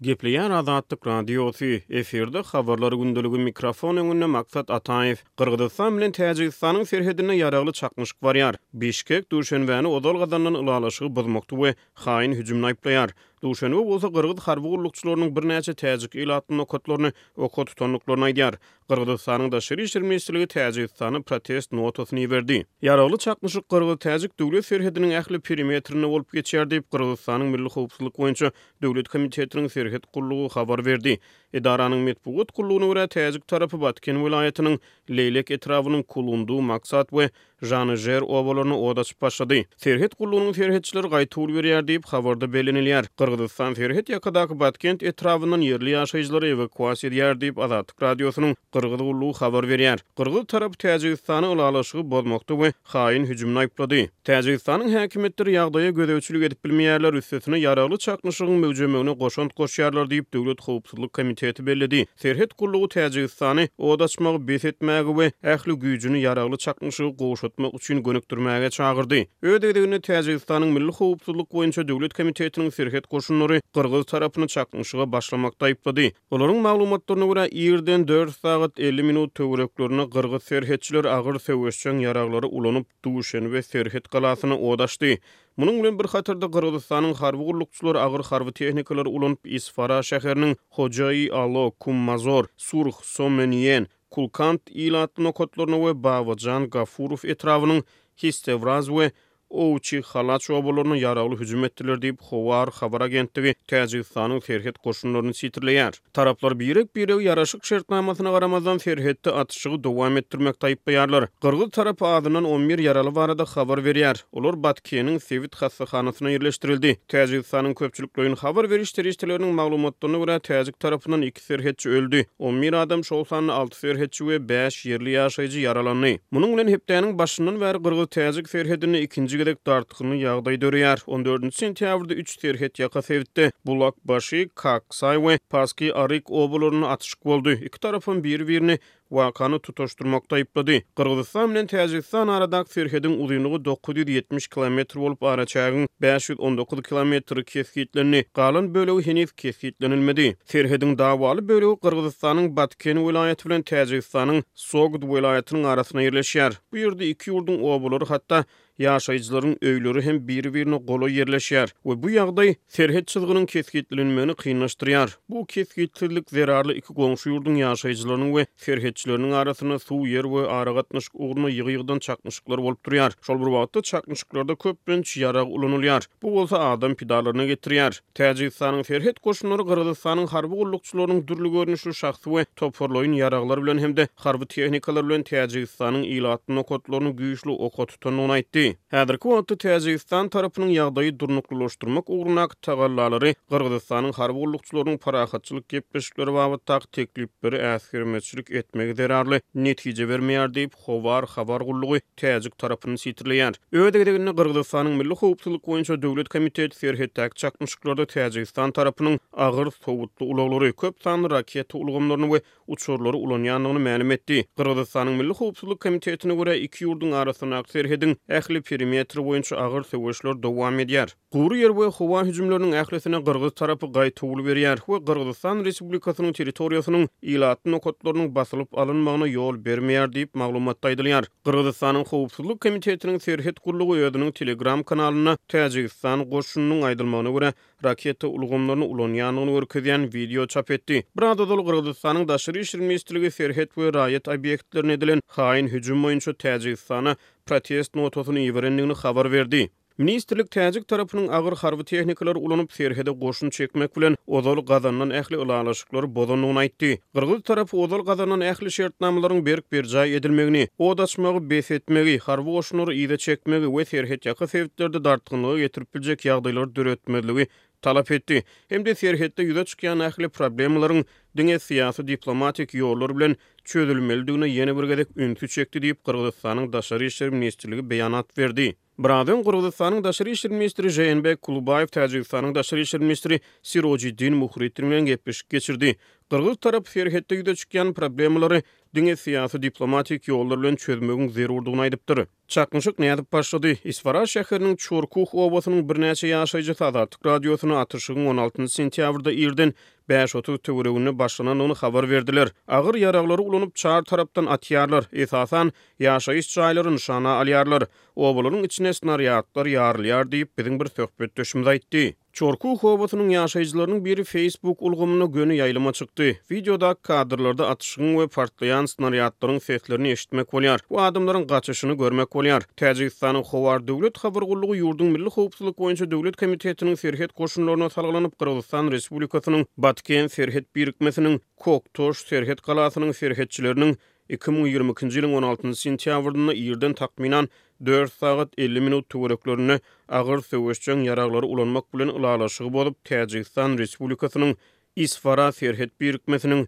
Gepleýär Azatlyk Radiosy, efirde Habarlar gündeligi, mikrofon öňünde Maksat Ataýew. Gyrgyzystan bilen Täjigistanyň serhedinde ýaragly çaknyşyk barýar. Bişkek Duşenbäni ozal gazanylan ylalaşygy bozmakda we haýyn hüjümde aýyplaýar. Duşenbe bolsa gyrgyz harby gullukçylarynyň birnäçe täjik ilatly nokatlaryny oka tutandyklaryny aýdýar. Gyrgyzystanyň Daşary işler ministrligi Täjigistana protest notasyny iberdi. Ýaragly çaknyşyk gyrgyz-täjik döwlet serhediniň ähli perimetrinde bolup geçýär diýip, Gyrgyzystanyň Milli howpsuzlyk boýunça döwlet komitetiniň serhet gullugy habar berdi. Edaranyň metbugat gullugyna görä, täjik tarapy Batken welaýatynyň Leýlek etrabynyň Kulundu, Maksat we Žanyžer obalaryna ot açyp başlady. Serhet gullugynyň serhetçileri gaýtawul berýär diýip, habarda bellenilýär. Gyrgyzystan serhet ýakadaky Batkent etrabyndan ýerli ýaşaýjylary ewakuasiýa edýär diýip, Azatlyk Radiosynyň Gyrgyz gullugy habar berýär. Gyrgyz tarapy Täjigistany ylalaşygy bozmakda we haýyn hüjümde aýyplady. Täjigistanyň häkimiýetleri ýagdaýa gözegçilik edip bilmeýärler, üstesine ýaragly çaknyşygyň möwjemegine goşant goşýarlar diýip, Döwlet howpsuzlyk komiteti belledi. Serhet gullugy Täjigistany ot açmagy bes etmäge we ähli güýjüni ýaragly çaknyşygy gowşatmak üçin gönükdirmäge çagyrdy. Öz gezeginde Täjigistanyň Milli howpsuzlyk boýunça döwlet komitetiniň serhet goşunlary gyrgyz tarapyny çaknyşyga başlamakda aýyplady. Olaryň maglumatlaryna görä, irden dört sagat 50 minut töwereklerinde gyrgyz serhetçileri agyr söweşjeň ýaraglary ulanyp, Duşenbe serhet galasyna ot açdy. Munuň bilen bir hatarda, Gyrgyzystanyň harby gullukçylary agyr harby tehnikalary ulanyp, Isfara şäheriniň Hojaý-Alo, Kummazor, Surh, Somenýen, Kulkant ilatly nokatlaryna we Babajan Gafurow etrabynyň Histewraz we Owçi Halaç obalaryna ýaragly hüjüm etdiler diýip, Howar habar agentligi Täjigistanyň serhet goşunlaryny sitirleýär. Taraplar birek-biregi ýaraşyk şertnamasyna garamazdan serhetde atyşygy dowam etdirmekde aýyplaýarlar. Gyrgyz tarapy azyndan 11 ýaraly barada habar berýär. Olar Batkeniň sebit hassahanasyna ýerleşdirildi. Täjigistanyň köpçülikleýin habar beriş serişdeleriniň maglumatlaryna görä, täjik tarapyndan iki serhetçi öldi, 11 adam, şol sanda alty serhetçi we bäş ýerli ýaşaýjy ýaralandy. Munuň bilen hepdäniň başyndan bäri gyrgyz-täjik serhedinde ikinji gezek dartgynly ýagdaý döreýär. On dördünji sentýabrda üç serhetýaka sebitde, Bulakbaşy, Kaksaý we Paski Aryk obalarynda atyşyk boldy. Iki tarapam biri-birini wakany tutaşdyrmakda aýyplady. Gyrgyzystan bilen Täjigistan aradaky serhediň uzynlygy 970 kilometr bolup, araçägiň 519 kilometri kesgitlendi. Galan bölegi heniz kesgitlenilmedi. Serhediň dawaly bölegi Gyrgyzystanyň Batken welaýaty bilen Täjigistanyň Sogd welaýatynyň arasynda ýerleşýär. Bu ýerde iki ýurduň obalary hatda Ýaşaýjylaryň öýleri hem biri-birine golaý ýerleşýär we bu ýagdaý serhet çyzgynyň kesgitlenmegini kynlaşdyrýar. Bu kesgitsizlik zerarly iki goňşy ýurduň ýaşaýjylarynyň we serhetçileriniň arasynda suw, ýer we aragatnaşyk ugrunda ýygy-ýygydan çaknyşyklar bolup durýar. Şol bir wagtda çaknyşyklarda köplenç ýarag ulanylýar. Bu bolsa adam pidalaryna getirýär. Täjigistanyň serhet goşunlary Gyrgyzystanyň harby gullukçylarynyň dürli görnüşli şahsy we toparlaýyn ýaraglar bilen hem-de harby tehnikalar bilen Täjigistanyň ilatly nokatlaryny güýçli oka tutandygyny aýtdy. Häzirki wagtda Täjigistan tarapynyň ýagdaýy durnuklylaşdyrmak ugrundaky tagallalary Gyrgyzystanyň harby gullukçylarynyň parahatçylyk gepleşikleri babatdaky teklipleri äsgermezçilik etmegi zerarly netije bermeýär diýip, Howar habar gullugy täjik tarapyny sitirleýär. Öz gezeginde Gyrgyzystanyň Milli howpsuzlyk boýunça döwlet komiteti serhetdäki çaknyşyklarda Täjigistan tarapynyň agyr sowutly ulaglary, köp sanly raketa ulgamlaryny we uçarlary ulanýandygyny mälim etdi. Gyrgyzystanyň Milli howpsuzlyk komitetine görä, iki ýurduň arasyndaky serhediň ähli perimetri boýunça agyr söweşler dowam edýär. Gury ýer we howa hüjümleriniň ählisine gyrgyz tarapy gaýtawul berýär we Gyrgyzystan Respublikasynyň territoriýasynyň ilatly nokatlarynyň basylyp alynmagyna ýol bermeýär diýip, maglumatda aýdylýar. Gyrgyzystanyň Howpsuzlyk komitetiniň serhet gullugy özüniň Telegram kanalynda Täjigistan goşunynyň aýdylmagyna görä, raketa ulgamlaryny ulanýandygyny görkezýän wideo çap etdi. Biraz ozal Gyrgyzystanyň Daşary işler ministrligi serhet we raýat obýektlerine edilen haýyn hüjüm boýunça Täjigistana protest notasyny iberendigini habar berdi. Ministrlik täjik tarapynyň agyr harby tehnikalary ulanyp, serhede goşun çekmek bilen, ozal gazanylan ähli ylalaşyklary bozandygyny aýtdy. Gyrgyz tarapy ozal gazanylan ähli şertnamalaryň berk berjaý edilmegini, ot açmagy bes etmegi, harby goşunlary yza çekmegi we serhetýaka sebitlerde dartgynlyga getirip biljek ýagdaýlary döretmezligi talap etdi hem-de serhetde ýüze çykýan ähli problemalaryň diňe syýasy-diplomatik ýollar bilen çözülmelidigine ýene bir gezek ünsi çekdi diýip, Gyrgyzystanyň Daşary işler ministrligi beýanat berdi. Biraz öň Gyrgyzystanyň Daşary işler ministri Žeenbek Kulubaýew Täjigistanyň Daşary işler ministri Sirojiddin Muhriddin bilen gepleşik geçirdi. Gyrgyz tarapy serhetde ýüze çykýan problemalary diňe syýasy-diplomatik ýollar bilen çözmegiň zerurdygyny aýdypdyr. Çaknyşyk nädip başlady? Isfara şäheriniň Çorkuh obasynyň birnäçe ýaşaýjysy Azatlyk Radiosyna atyşygyň on altynjy sentýabrda irden 5:30 töwereginde başlanandygyny habar berdiler. Agyr ýaraglary ulanyp, çar tarapdan atýarlar. Esasan, ýaşaýyş jaýlary nyşana alýarlar. Obalaryň içinde snarýadlar ýarylýar diýip, biziň bir söhbetdeşimiz aýtdy. Çorkuh obasynyň ýaşaýjylarynyň biri Facebook ulgamynda göni ýaýlyma çykdy. Wideodaky kadrlarda atyşygyň we partlaýan snarýadlaryň seslerini eşitmek bolýar we adamlaryň gaçyşyny görmek bolýar. Täjigistanyň Howar döwlet habar gullugy ýurduň Milli howpsuzlyk boýunça döwlet komitetiniň serhet goşunlaryna salgylanyp, Gyrgyzystan Respublikasynyň Batken serhet birikmesiniň Koktoş serhet galasynyň serhetçileriniň 2022-nji ýylyň on altynjy sentýabrynda irden takmynan dört sagat 50 minut töwereklerinde agyr söweşjeň ýaraglary ulanmak bilen ylalaşygy bozup, Täjigistan Respublikasynyň Isfara serhet birikmesiniň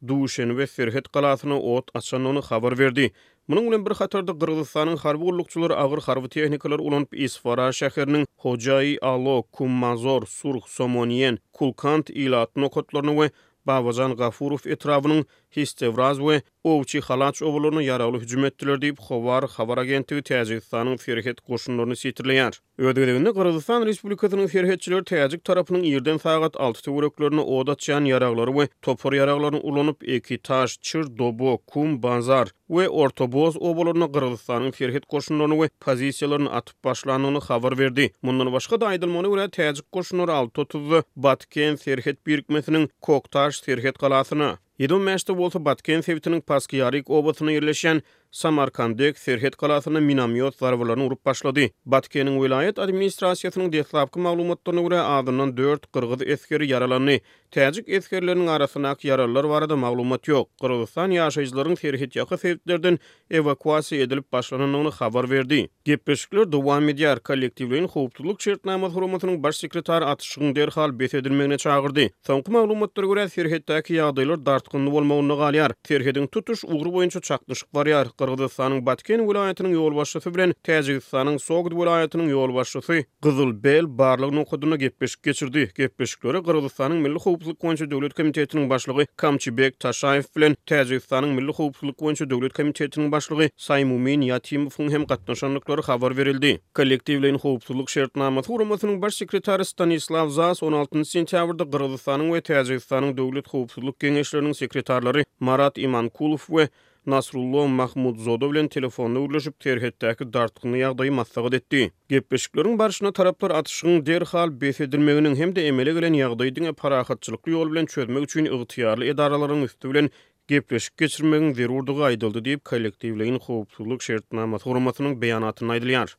Duşenbe serhet galasyna ot açandygyny habar berdi. Munuň bilen bir hatarda, Gyrgyzystanyň harby gullukçylary agyr harby tehnikalary ulanyp, Isfara şäheriniň Hojai-Alo, Kummazor, Surh, Somoniýen, Kulkant ilatly nokatlaryna we Babajan Gafurow etrabynyň Histewraz we Owçi-Halaç obalaryna ýaragly hüjüm etdiler diýip, Howar habar agentligi Täjigistanyň serhet goşunlaryny sitirleýär. Öz gezeginde Gyrgyzystan Respublikasynyň serhetçileri täjik tarapynyň irden sagat alty töwereklerinde od açýan ýaraglary we topar ýaraglaryny ulanyp, Ekitaş, Çir Dobo, Kum Bazar we Ortoboz obalarynda Gyrgyzystanyň serhet goşunlaryny we pozisiýalaryny atyp başlandygyny habar berdi. Mundan başga-da, aýdylmagyna görä, täjik goşunlary alty otuzda Batken serhet birikmesiniň Koktaş serhet galasyna, ýedi on bäşde bolsa Batken sebitiniň Paskiýaryk obasynda ýerleşýän Samarkandek serhet galasyna minomýot zarbalaryny urup başlady. Batkeniň welaýat administrasiýasynyň deslapky maglumatlaryna görä, azyndan dört gyrgyz esgeri ýaralandy. Täjik esgerleriniň arasyndaky ýaralylar barada maglumat ýok. Gyrgyzystan ýaşaýjylaryň serhetýaka sebitlerden ewakuasiýa edilip başlanandygyny habar berdi. Gepleşikler dowam edýär. Kollektiwleýin howpsuzlyk şertnamasy guramasynyň baş sekretary atyşygyň derhal bes edilmegine çagyrdy. Soňky maglumatlara görä, serhetdäki ýagdaýlar dartgynly bolmagynda galýar. Serhediň tutuş ugry boýunça çaknyşyk barýar. Gyrgyzystanyň Batken welaýatynyň ýolbaşçysy bilen Täjigistanyň Sogd welaýatynyň ýolbaşçysy Gyzyl Bel barlag nokadynda gepleşik geçirdi. Gepleşiklere Gyrgyzystanyň Milli howpsuzlyk boýunça döwlet komitetiniň başlygy Kamçybek Taşaýew bilen Täjigistanyň Milli howpsuzlyk boýunça döwlet komitetiniň başlygy Saýmumin Ýatimowyň hem gatnaşandyklary habar berildi. Kollektiwleýin howpsuzlyk şertnamasy guramasynyň baş sekretary Stanislaw Zas on altynjy sentýabrda Gyrgyzystanyň we Täjigistanyň Döwlet howpsuzlyk geňeşleriniň sekretarlary Marat Imankulow we Nasrullo Mahmudzoda bilen telefonda gürleşip, serhetdäki dartgynly ýagdaýy maslahat etdi. Gepleşikleriň barşynda taraplar atyşygyň derhal bes edilmeginiň hem-de emele gelen ýagdaýy diňe parahatçylykly ýol bilen çözmek üçin ygtyýarly edaralaryň üsti bilen gepleşik geçirmegiň zerurdygy aýdyldy diýip, Kollektiwleýin howpsuzlyk şertnamasy guramasynyň beýanatynda aýdylýar.